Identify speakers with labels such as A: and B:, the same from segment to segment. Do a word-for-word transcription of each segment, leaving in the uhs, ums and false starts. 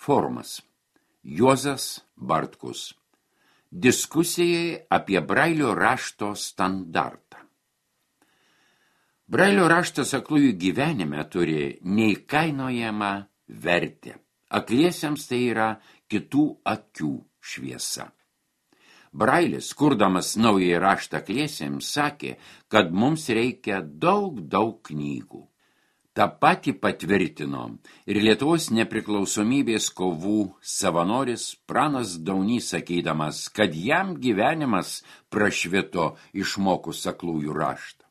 A: Forumas. Juozas Bartkus. Diskusijai apie Brailio rašto standartą. Brailio raštas aklųjų gyvenime turi neįkainojamą vertę. Akliesiems tai yra kitų akių šviesa. Brailis, kurdamas naująjį raštą akliesiems, sakė, kad mums reikia daug, daug knygų. Ta pati patvirtino ir Lietuvos nepriklausomybės kovų savanoris Pranas Daunys, sakydamas, kad jam gyvenimas prašvito išmokus aklųjų raštą.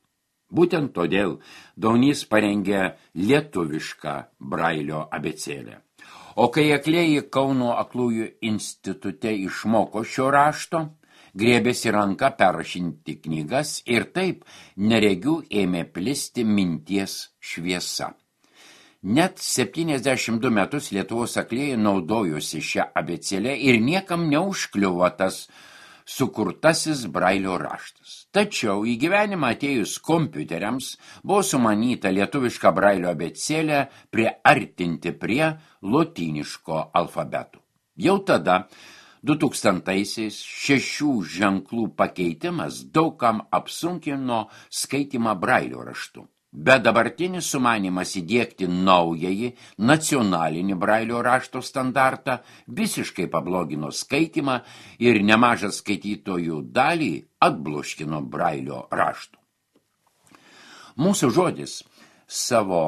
A: Būtent todėl Daunys parengė lietuvišką Brailio abėcėlę. O kai aklieji Kauno aklųjų institute išmoko šio rašto, griebėsi ranką perrašinti knygas ir taip neregių ėmė plisti minties šviesa. Net septyniasdešimt du metus Lietuvos aklieji naudojosi šią abėcėlę ir niekam neužkliuvo tas sukurtasis Brailio raštas. Tačiau į gyvenimą atėjus kompiuteriams buvo sumanyta lietuvišką Brailio abėcėlę priartinti prie lotyniško alfabetų. Jau tada, du tūkstantaisiais, šešių ženklų pakeitimas daugam apsunkino skaitymą Brailio raštu. Bet dabartinis sumanymas įdiegti naująjį nacionalinį Brailio rašto standartą visiškai pablogino skaitymą ir nemažą skaitytojų dalį atbloškino Brailio raštų. Mūsų žodis savo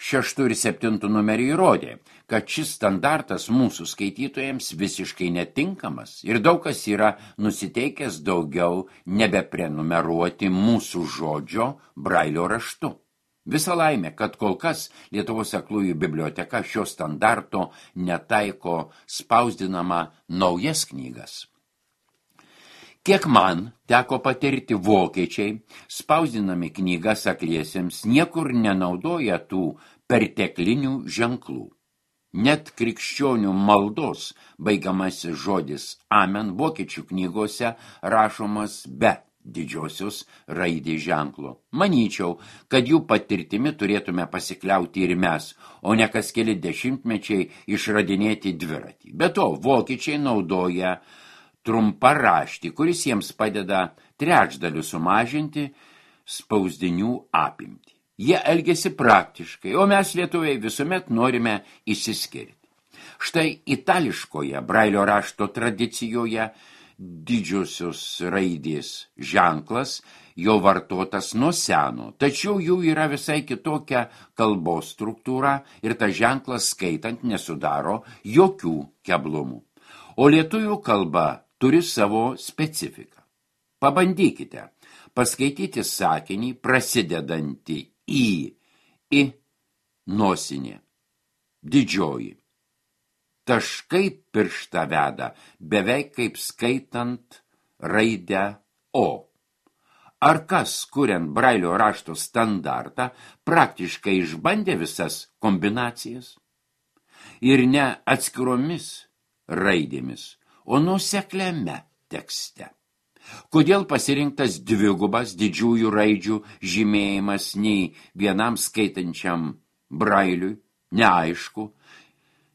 A: šeštų ir septintų numerį įrodė, kad šis standartas mūsų skaitytojams visiškai netinkamas ir daug kas yra nusiteikęs daugiau nebeprenumeruoti mūsų žodžio Brailio raštu. Visa laimė, kad kol kas Lietuvos aklųjų biblioteka šio standarto netaiko spausdinama naujas knygas. Kiek man teko patirti, vokiečiai, spausdinami knygas akliesiems, niekur nenaudoja tų perteklinių ženklų. Net krikščionių maldos baigiamasis žodis amen vokiečių knygose rašomas be didžiosios raidės ženklo. Manyčiau, kad jų patirtimi turėtume pasikliauti ir mes, o ne kas keli dešimtmečiai išradinėti dviratį. Be to, vokiečiai naudoja trumparaštį, kuris jiems padeda trečdaliu sumažinti spausdinių apimtį. Jie elgiasi praktiškai, o mes lietuviai visuomet norime išsiskirti. Štai itališkoje Brailio rašto tradicijoje didžiosios raidės ženklas jau vartotas nuo seno, tačiau jų yra visai kitokia kalbos struktūra ir tas ženklas skaitant nesudaro jokių keblumų. O lietuvių kalba turi savo specifiką. Pabandykite paskaityti sakinį prasidedantį į, į nosinė, didžioji. Taškai pirštą veda, beveik kaip skaitant raidę O. Ar kas, kuriant Brailio rašto standartą, praktiškai išbandė visas kombinacijas? Ir ne atskiromis raidėmis, o nuosekliame tekste. Kodėl pasirinktas dvigubas didžiųjų raidžių žymėjimas nei vienam skaitančiam Brailiui, neaišku.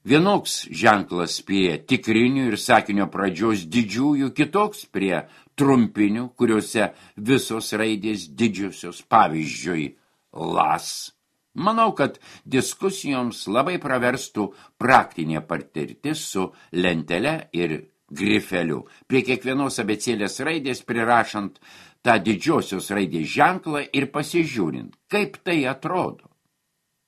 A: Vienoks ženklas prie tikrinių ir sakinio pradžios didžiųjų, kitoks prie trumpinių, kuriuose visos raidės didžiosios, pavyzdžiui, las. Manau, kad diskusijoms labai praverstų praktinė patirtis su lentele ir grifeliu, prie kiekvienos abėcėlės raidės prirašant tą didžiosios raidės ženklą ir pasižiūrint, kaip tai atrodo.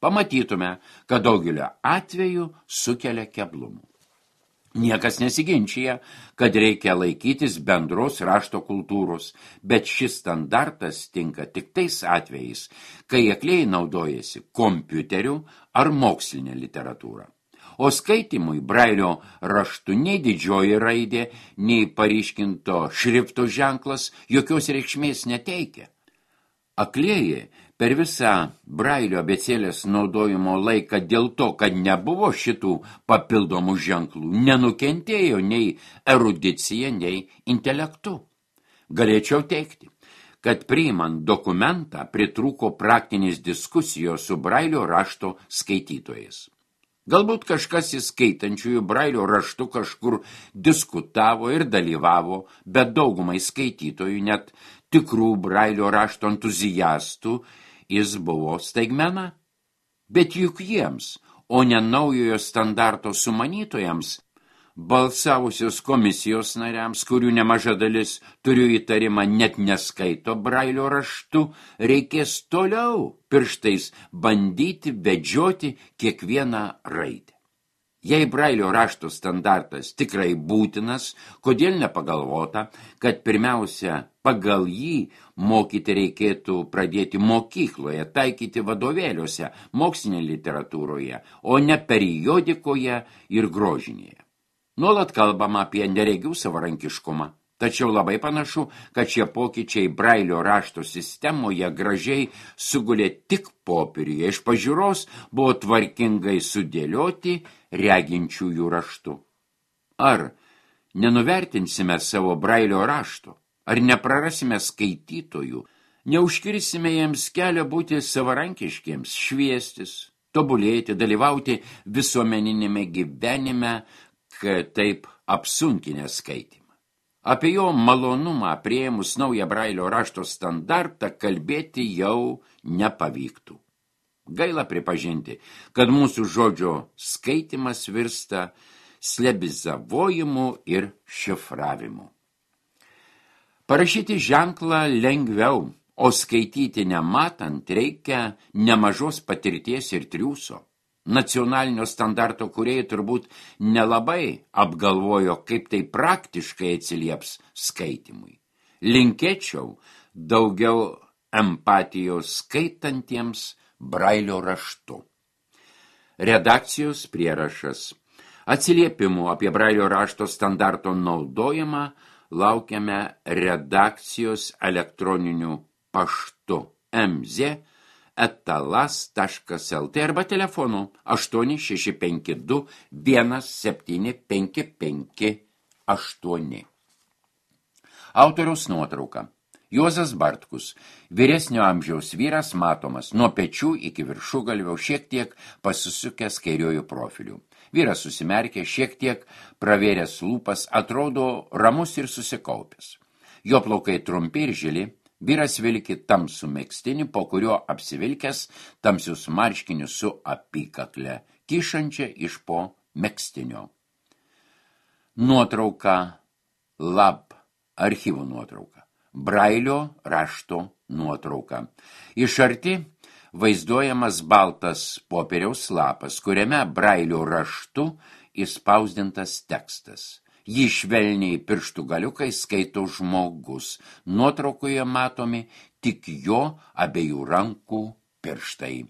A: Pamatytume, kad daugelio atveju sukelia keblumų. Niekas nesiginčia, kad reikia laikytis bendros rašto kultūros, bet šis standartas tinka tik tais atvejais, kai aklieji naudojasi kompiuteriu ar mokslinė literatūra. O skaitimui Brailio raštu nei didžioji raidė, nei paryškinto šrifto ženklas jokios reikšmės neteikia. Aklieji per visą Brailio abėcėlės naudojimo laiką dėl to, kad nebuvo šitų papildomų ženklų, nenukentėjo nei erudicija, nei intelektu. Galėčiau teigti, kad priimant dokumentą pritrūko praktinės diskusijos su Brailio rašto skaitytojais. Galbūt kažkas įskaitančiųjų brailio raštu kažkur diskutavo ir dalyvavo, bet daugumai skaitytojų, net tikrų brailio rašto entuzijastų, jis buvo staigmena. Bet juk jiems, o ne naujojo standarto sumanytojams, balsavusios komisijos nariams, kurių nemaža dalis, turiu įtarimą, net neskaito brailio raštu, reikės toliau pirštais bandyti vedžioti kiekvieną raidę. Jei brailio rašto standartas tikrai būtinas, kodėl nepagalvota, kad pirmiausia pagal jį mokyti reikėtų pradėti mokykloje, taikyti vadovėliuose, mokslinėje literatūroje, o ne periodikoje ir grožinėje. Nuolat kalbama apie neregių savarankiškumą, tačiau labai panašu, kad šie pokyčiai brailio rašto sistemoje gražiai sugulė tik popieriuje, iš pažiūros buvo tvarkingai sudėlioti reginčiųjų raštu. Ar nenuvertinsime savo brailio rašto, ar neprarasime skaitytojų, neužkirsime jiems kelią būti savarankiškiems, šviestis, tobulėti, dalyvauti visuomeninėme gyvenime, kad taip apsunkinę skaitimą. Apie jo malonumą priėmus naują brailio rašto standartą kalbėti jau nepavyktų. Gaila pripažinti, kad mūsų žodžio skaitimas virsta slebizavojimu ir šifravimu. Parašyti ženklą lengviau, o skaityti nematant reikia nemažos patirties ir triūso. Nacionalinio standarto kūrėjai turbūt nelabai apgalvojo, kaip tai praktiškai atsilieps skaitimui. Linkėčiau daugiau empatijos skaitantiems brailio raštu. Redakcijos prierašas. Atsiliepimų apie brailio rašto standarto naudojimą laukiame redakcijos elektroniniu paštu mz etalas taškas lt arba telefonu aštuoni šeši penki du vienas septyni penki penki aštuoni. Autoriaus nuotrauka. Juozas Bartkus, vyresnio amžiaus vyras, matomas nuo pečių iki viršugalvio, šiek tiek pasisukęs kairiojų profilių. Vyras susimerkė, šiek tiek pravėręs lūpas, atrodo ramus ir susikaupęs. Jo plaukai trumpi ir žili. Vyras vilki tamsų megztinį, po kurio apsivilkęs tamsius marškinius su apykakle, kyšančia iš po megztinio. Nuotrauka lab, archyvų nuotrauka. Brailio rašto nuotrauka. Iš arti vaizduojamas baltas popieriaus lapas, kuriame brailio raštu įspausdintas tekstas. Jį švelniai pirštų galiukai skaito žmogus. Nuotraukoje matomi tik jo abiejų rankų pirštai.